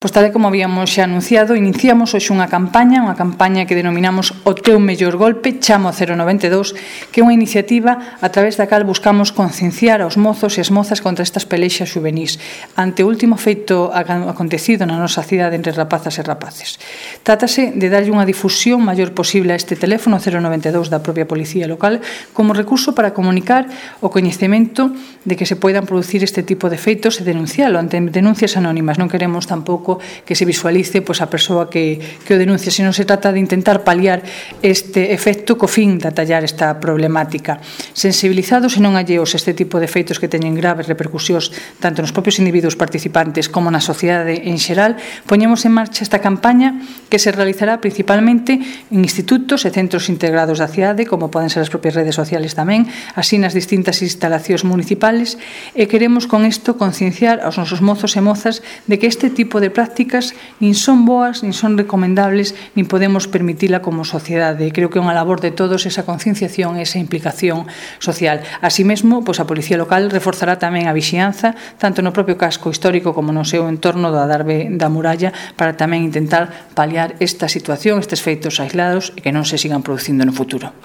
Pois tal como habíamos xa anunciado, iniciamos hoxe unha campaña que denominamos O teu mellor golpe, chama ao 092, que é unha iniciativa a través da cal buscamos concienciar aos mozos e as mozas contra estas pelexas juvenís, ante o último feito acontecido na nosa cidade entre rapazas e rapaces. Trátase de darlle unha difusión maior posible a este teléfono 092 da propia Policía Local como recurso para comunicar o coñecemento de que se poidan producir este tipo de feitos e denuncialo ante denuncias anónimas. Non queremos tampouco que se visualice a persoa que o denuncia, senón se trata de intentar paliar este efecto co fin de atallar esta problemática. Sensibilizados e non alleos a este tipo de feitos que teñen graves repercusións tanto nos propios individuos participantes como na sociedade en xeral, poñemos en marcha esta campaña que se realizará principalmente en institutos e centros integrados da cidade, como poden ser as propias redes sociales tamén, así nas distintas instalacións municipales, e queremos con isto concienciar aos nosos mozos e mozas de que este tipo de prácticas nin son boas, nin son recomendables, nin podemos permitila como sociedade. Creo que é unha labor de todos esa concienciación e esa implicación social. Así mesmo, a Policía Local reforzará tamén a vixianza, tanto no propio casco histórico como no seu entorno do adarve da muralla, para tamén intentar paliar esta situación, estes feitos aislados e que non se sigan producindo no futuro.